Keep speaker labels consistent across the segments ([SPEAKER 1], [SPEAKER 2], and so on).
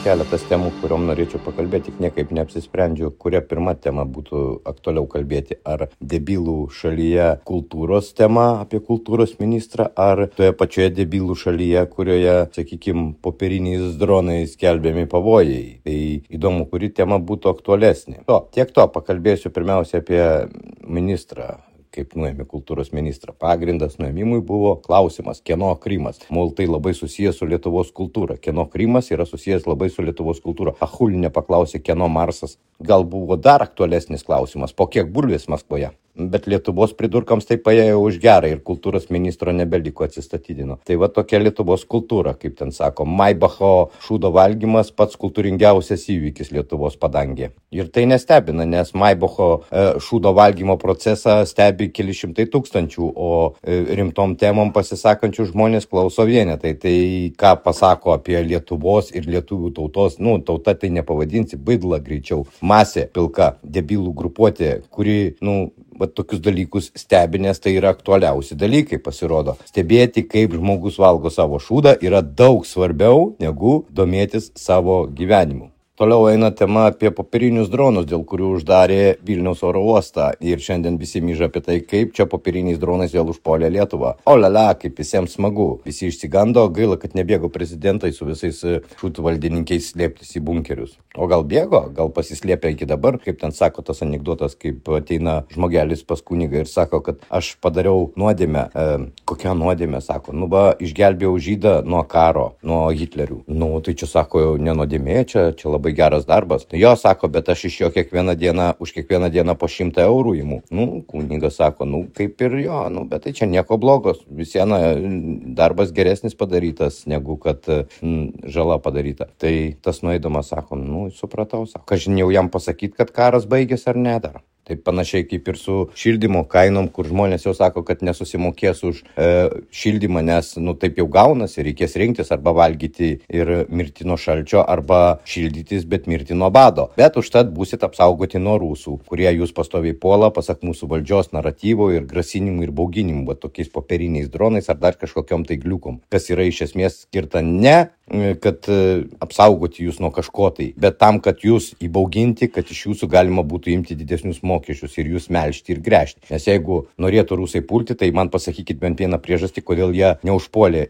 [SPEAKER 1] keletas temų, kuriuom norėčiau pakalbėti, tik niekaip neapsisprendžiu, kuria pirma tema būtų aktualiau kalbėti. Ar debilų šalyje kultūros tema apie kultūros ministrą, ar toje pačioje debilų šalyje, kurioje, sakykime, popieriniais dronais skelbiami pavojai. Tai įdomu, kuri tema būtų aktualesnė. Tiek to, pakalbėsiu pirmiausia apie ministrą. Kaip nuėmė kultūros ministrą. Pagrindas nuėmimui buvo klausimas, kieno Krymas. Mol tai labai susijęs su Lietuvos kultūra. Kieno Krymas yra susijęs labai su Lietuvos kultūra. Achulinė paklausė, kieno Marsas. Gal buvo dar aktualesnis klausimas, po kiek bulvės Maskvoje. Bet Lietuvos pridurkams tai paėjo už gerą ir kultūros ministro nebeliko, atsistatydino. Tai va tokia Lietuvos kultūra, kaip ten sako. Maibacho šūdo valgymas pats kultūringiausias įvykis Lietuvos padangė. Ir tai nestebina, nes Maibacho šūdo valgymo procesą stebi keli šimtai tūkstančių, o rimtom temom pasisakančių žmonės klauso vienetai. Tai ką pasako apie Lietuvos ir lietuvių tautos, tauta tai nepavadinsi, baidla greičiau. Masė pilka, debilų grupuotė, kuri, tokius dalykus stebi, nes tai yra aktualiausi dalykai, pasirodo. Stebėti, kaip žmogus valgo savo šūdą, yra daug svarbiau negu domėtis savo gyvenimu. Toliau eina tema apie popierinius dronus, dėl kurių uždarė Vilniaus oro uostą. Ir šiandien visi myža apie tai, kaip čia popieriniais dronais vėl užpuolė Lietuvą. Olala, kaip visiems smagu. Visi išsigando, gaila, kad nebėgo prezidentai su visais šūtų valdininkiais slėptis į bunkerius. O gal bėgo, gal pasislėpė iki dabar, kaip ten sako tas anekdotas, kaip ateina žmogelis pas kunigą ir sako, kad aš padariau nuodėmę. Kokią nuodėmę, sako, išgelbėjau žydą nuo karo, nuo Hitlerių. Tai čia sako, ne nuodėmė, čia labai geras darbas. Jo, sako, bet aš iš jo už kiekvieną dieną po 100 eurų imu. Kunigas sako, kaip ir jo, bet tai čia nieko blogos. Visiena darbas geresnis padarytas, negu kad žala padaryta. Tai tas nueidamas sako, supratau, sako, kažin jau jam pasakyti, kad karas baigėsi ar ne dar. Taip panašiai kaip ir su šildymo kainom, kur žmonės jau sako, kad nesusimokės už šildymą, nes taip jau gaunasi, reikės rinktis arba valgyti ir mirti nuo šalčio, arba šildytis, bet mirti nuo bado. Bet užtat būsit apsaugoti nuo rusų, kurie jūs pastoviai puola, pasak mūsų valdžios naratyvo ir grasinimų ir bauginimų, tokiais popieriniais dronais ar dar kažkokiom tai gliukom, kas yra iš esmės skirta ne kad apsaugoti jūs nuo kažko tai, bet tam, kad jūs įbauginti, kad iš jūsų galima būtų imti didesnius mokesčius ir jūs melžti ir gręžti. Nes jeigu norėtų rusai pulti, tai man pasakykit bent vieną priežastį, kodėl jie neužpuolė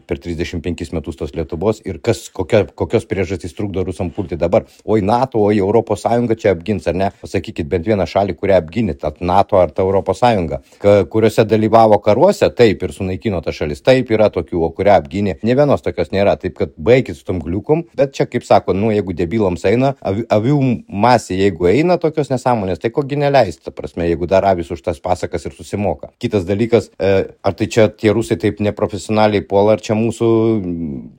[SPEAKER 1] per 35 metus tos Lietuvos ir kokios priežastys trukdo rusam pulti dabar. Oi NATO, oi Europos Sąjunga čia apgins, ar ne? Pasakykit bent vieną šalį, kurią apginit, NATO ar ta Europos Sąjunga, kuriuose dalyvavo karuose, taip ir sunaikino ta šalis, taip yra tokių, o kurią apginė. Ne vienos tokios nėra. Taip, kad baigit su tom gliukom, bet čia, kaip sako, jeigu debilams eina, avių masė, jeigu eina tokios nesąmonės, tai kogi neleista, prasme, jeigu dar avis už tas pasakas ir susimoka. Kitas dalykas, ar tai čia tie rusai taip neprofesionaliai puola, ar čia mūsų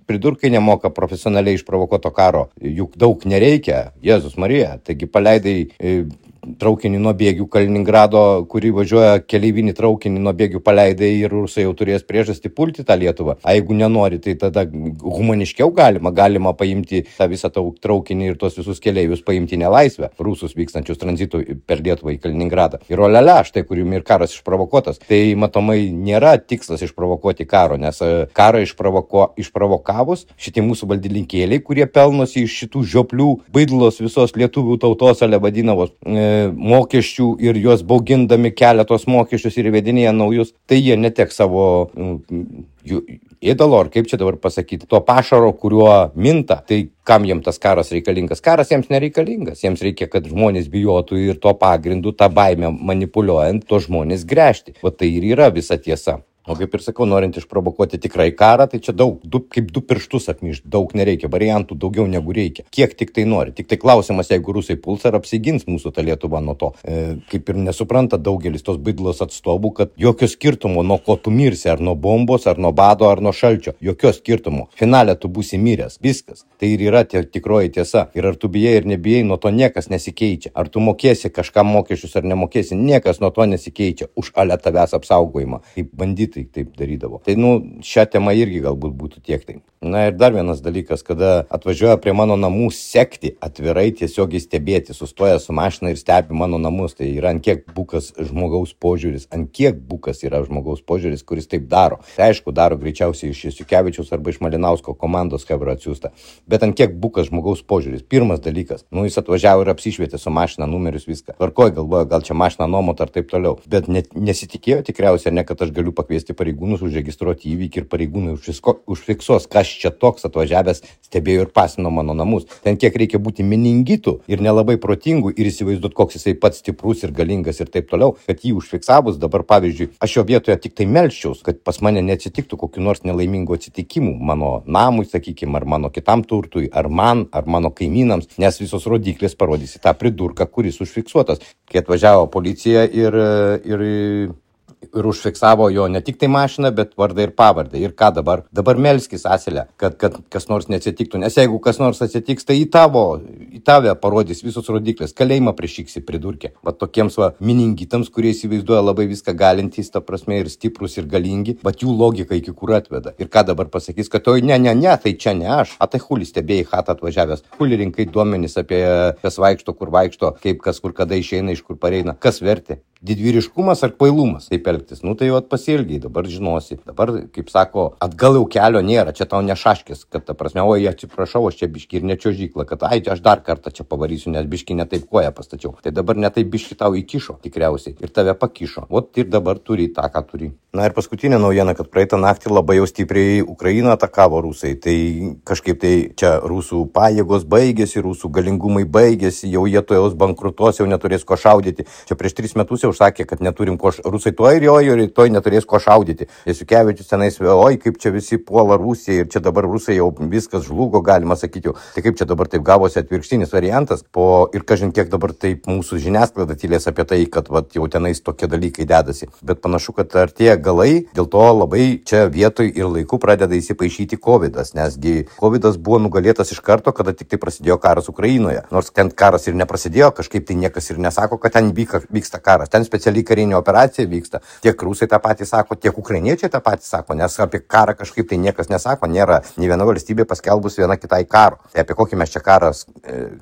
[SPEAKER 1] pridurkai nemoka profesionaliai išprovokuoto karo, juk daug nereikia, Jėzus Marija, taigi paleidai traukinį nuo Bėgių Kaliningrado, kurį važiuoja keleivinį traukinį nuo Bėgių paleidai ir rusai jau turės priežastį pulti tą Lietuvą. A jeigu nenori, tai tada humaniškiau galima paimti tą visą traukinį ir tuos visus keleivius paimti nelaisvę, rusus vykstančius tranzitų per Lietuvą į Kaliningradą. Ir olele, štai kurium ir karas išprovokuotas. Tai matomai nėra tikslas išprovokuoti karo, nes karą išprovokavus šitie mūsų valdininkėliai, kurie pelnosi iš šitų žioplių baidlos visos lietuvių tautos, ale vadinavos mokesčių ir juos baugindami keletos mokesčius ir įvedinėja naujus, tai jie neteks savo ėdalo, ar kaip čia dabar pasakyti, to pašaro, kuriuo minta. Tai kam jiems tas karas reikalingas? Karas jiems nereikalingas. Jiems reikia, kad žmonės bijotų ir to pagrindu, tą baimę manipuliuojant, to žmonės gręžti. O tai ir yra visa tiesa. O kaip ir sakau, norint išprovokuoti tikrai karą, tai čia kaip du pirštus apmyžti, daug nereikia, variantų daugiau negu reikia. Kiek tik tai nori. Tik tai klausimas, jeigu rusai puls, ar apsigins mūsų ta Lietuva nuo to. Kaip ir nesupranta daugelis tos baidlos atstovų, kad jokio skirtumo, nuo ko tu mirsi, ar nuo bombos, ar nuo bado, ar nuo šalčio. Jokio skirtumo. Finale tu būsi miręs. Viskas. Tai ir yra tikroji tiesa. Ir ar tu bijai ir nebijai, nuo to niekas nesikeičia. Ar tu mokėsi kažkam mokesčius ar nemokėsi, niekas nuo to nesikeičia. Už ale tavęs apsaugojimą. Kaip banditai taip darydavo. Tai, šią temą irgi galbūt būtų tiek tai. Na ir dar vienas dalykas, kada atvažiuoja prie mano namų sekti, atvirai tiesiogiai stebėti, sustoja su mašina ir stebi mano namus, tai yra ant kiek bukas žmogaus požiūris, kuris taip daro. Tai aišku, daro greičiausiai iš Jasiukevičiaus arba iš Malinausko komandos chebra atsiųsta, bet ant kiek bukas žmogaus požiūris. Pirmas dalykas, jis atvažiavo ir apsišvietė su mašina, numerius, viską. Tvarkoj, galvoja, gal čia mašina nuomot ar taip toliau, bet nesitikėjo tikriausiai, ne kad aš galiu pakviesti pareigūnus užregistruoti įvykį ir pareigūnai užfiksuos, kas čia toks atvažiavęs stebėjo ir pasino mano namus. Ten kiek reikia būti meningitų ir nelabai protingų ir įsivaizduoti, koks jisai pats stiprus ir galingas ir taip toliau, kad jį užfiksavus dabar, pavyzdžiui, aš jo vietoje tik tai melsčiaus, kad pas mane neatsitiktų kokiu nors nelaimingų atsitikimų mano namui, sakykime, ar mano kitam turtui, ar mano kaimynams, nes visos rodiklės parodys į tą pridurką, kuris užfiksuotas. Kai atvažiavo policija ir užfiksavo jo ne tik tai mašiną, bet vardą ir pavardę. Ir ką dabar? Dabar melskis asilę, kad kas nors neatsitiktų. Nes jeigu kas nors atsitiks, tai į tave parodys visos rodiklės. Kalėjimą prišyksi pridurkė. Va tokiems miningitams, kurie įsivaizduoja labai viską galintys, ta prasme, ir stiprus, ir galingi, bet jų logika iki kur atveda. Ir ką dabar pasakys, kad ne, tai čia ne aš. A tai huli stebėjai chatą atvažiavęs. Huli rinkai duomenys apie kas vaikšto, kur vaikšto, kaip kas kur kada išeina, iš kur pareina. Kas vertė? Didvyriškumas ar kvailumas taip elgtis? Tai jau pasielgiai, dabar žinosi. Dabar, kaip sako, atgal jau kelio nėra, čia tau nešaškis, kad ta prasme, oi, atsiprašau, aš čia biški ir nečiožykla, kad aš dar kartą čia pavarysiu, nes biški netaip koją pastačiau. Tai dabar netaip biški tau įkišo, tikriausiai, ir tave pakišo. Ot ir dabar turi tą, ką turi. Na ir paskutinė naujiena, kad praeitą naktį labai jau stipriai Ukrainą atakavo rusai. Tai kažkaip tai čia rusų pajėgos baigėsi, rusų galingumai baigėsi, jau jie to jaus bankrutuos, jau neturės ko šaudyti. Čia prieš 3 metus jau sakė, kad neturim ko rusai to ir rytoj neturės ko šaudyti. Jasiukevičius tenais, oi, kaip čia visi puola Rusiją ir čia dabar rusai jau viskas žlugo, galima sakyti jau. Tai kaip čia dabar taip gavosi atvirkštinis variantas, ir kažin kiek dabar taip mūsų žiniasklaida tylės apie tai, kad jau tenais tokie dalykai dedasi. Bet panašu, kad artėja galai, dėl to labai čia vietoj ir laiku pradeda įsipaišyti Covidas, nesgi Covidas buvo nugalėtas iš karto, kada tik tai prasidėjo karas Ukrainoje. Nors ten karas ir neprasidėjo, kažkaip tai niekas ir nesako, kad ten vyksta karas. Ten specialiai karinė operacija vyksta. Tiek rusai tą patį sako, tiek ukrainiečiai tą patį sako, nes apie karą kažkaip tai niekas nesako, nėra nei viena valstybė paskelbus viena kitai karo. Tai apie kokį mes čia karą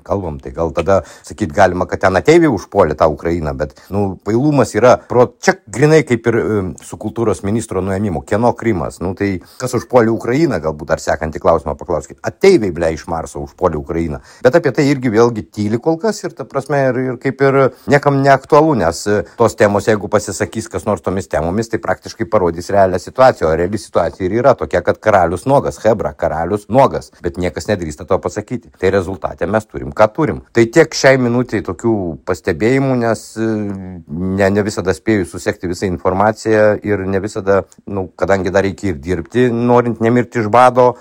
[SPEAKER 1] kalbam, tai gal tada sakyti galima, kad ten ateiviai užpuolė tą Ukrainą, bet pailumas yra, čia grinai kaip ir su kultūros ministro nuėmimu, kieno Krymas, tai kas užpuolė Ukrainą, galbūt ar sekantį klausimą paklauskit, ateiviai ble iš Marso užpuolė Ukrainą, bet apie tai irgi vėlgi tyli kol kas ir ta prasme ir kaip ir niekam neaktualu, nes tos temos, jeigu pasisakys kas nors tomis temomis, tai praktiškai parodys realią situaciją, o reali situacija ir yra tokia, kad karalius nuogas, chebra, karalius nuogas, bet niekas nedrįsta to pasakyti. Tai rezultate mes turim, ką turim. Tai tiek šiai minutiai tokių pastebėjimų, nes ne visada spėju susekti visą informaciją ir ne visada, kadangi dar reikia ir dirbti, norint nemirti iš bado,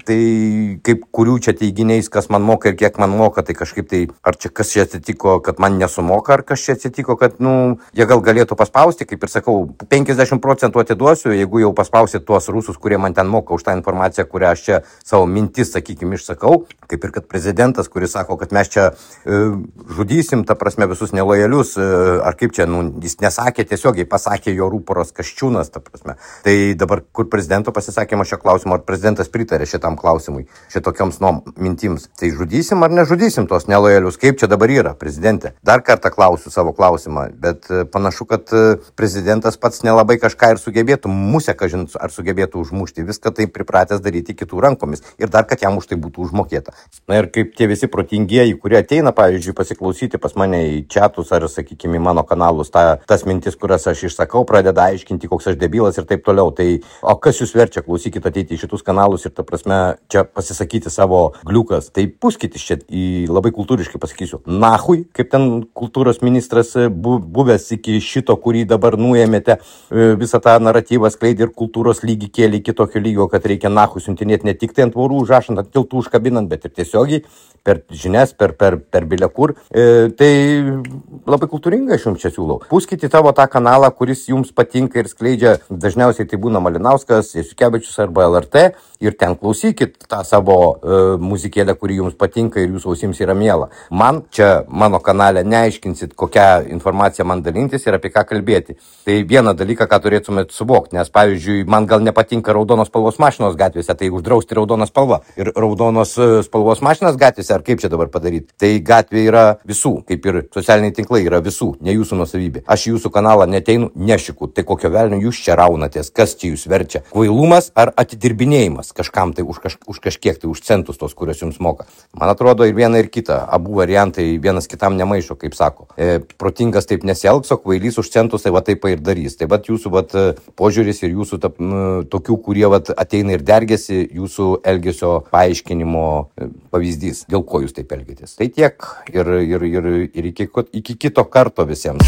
[SPEAKER 1] tai kaip kurių čia teiginiais, kas man moka ir kiek man moka, tai kažkaip tai, ar čia kas čia atsitiko, kad man nesumoka, ar kas čia atsitiko, kad, jie gal galėtų paspausti, kaip ir sakau, 50% atiduosiu, jeigu jau paspausit tuos rusus, kurie man ten moka už tą informaciją, kurią aš čia savo mintis, sakykime, išsakau, kaip ir kad prezidentas, kuris sako, kad mes čia žudysim, ta prasme, visus nelojalius, ar kaip čia, jis nesakė, tiesiogiai pasakė jo rūporos Kasčiūnas, ta prasme. Tai dabar, kur prezidento pasisakymo šio klausimo, ar prezidentas pritarė šitam klausimui, šitokioms mintims, tai žudysim ar nežudysim tos nelojalius, kaip čia dabar yra, prezidentė. Dar kartą klausiu savo klausimą, bet panašu, kad prezidentas pats nelabai kažką ir sugebėtų, musę, kažin, ar sugebėtų užmušti, viską tai pripratęs daryti kitų rankomis ir dar, kad jam už tai būtų užmokėta. Na ir kaip tie visi protingieji, kurie ateina, pavyzdžiui, pasiklausyti pas mane į chatus ar, sakykime, į mano kanalus, tas mintis, kurias aš išsakau, pradeda aiškinti, koks aš debilas ir taip toliau. Tai, o kas jūs verčia, klausykit, ateiti į šitus kanalus ir, ta prasme, čia pasisakyti savo gliukas. Tai puskit čia labai kultūriškai pasakysiu, nahui, kaip ten kultūros ministras buvęs iki šito, kurį dabar nuėmėte, visą tą naratyvą skleidė ir kultūros lygį kėlė iki tokio lygio, kad reikia nahui siuntinėti ne tik tai ant tvorų užrašant, ant tiltų užkabinant, bet ir tiesiogiai per žinias, per bilekur. Tai labai kultūringai aš jums čia siūlau. Puskite tavo tą kanalą, kuris jums patinka ir skleidžia, dažniausiai tai būna Malinauskas, Jasiukevičius arba LRT, ir ten klausykit tą savo muzikėlę, kuri jums patinka ir jūsų ausims yra miela. Man čia mano kanale neaiškinsit, kokią informaciją man dalintis ir apie ką kalbėti. Tai vieną dalyką, ką turėtumėt suvokti, nes pavyzdžiui, man gal nepatinka raudonos spalvos mašinos gatvėse, tai uždrausti raudoną spalvą ir raudonos spalvos mašinas gatvėse, ar kaip čia dabar padaryti. Tai gatvė yra visų, kaip ir socialiniai tinklai yra visų, ne jūsų nuosavybė. Aš į jūsų kanalą neteinu, nešiku, tai kokio velnio jūs čia raunatės, kas čia jūs verčia? Kvailumas ar atidirbinėjimas kažkam tai už kažkiek tai už centus tos, kurios jums moka. Man atrodo ir viena ir kita, abu variantai vienas kitam nemaišo, kaip sako. Protingas taip nesielgs, o kvailys už centus tai va taip ir darys. Tai vat jūsų požiūris ir jūsų tokių, kurie ateina ir dergiasi, jūsų elgesio paaiškinimo pavyzdys, dėl ko jūs taip elgitės. Tai tiek ir iki kito karto visiems.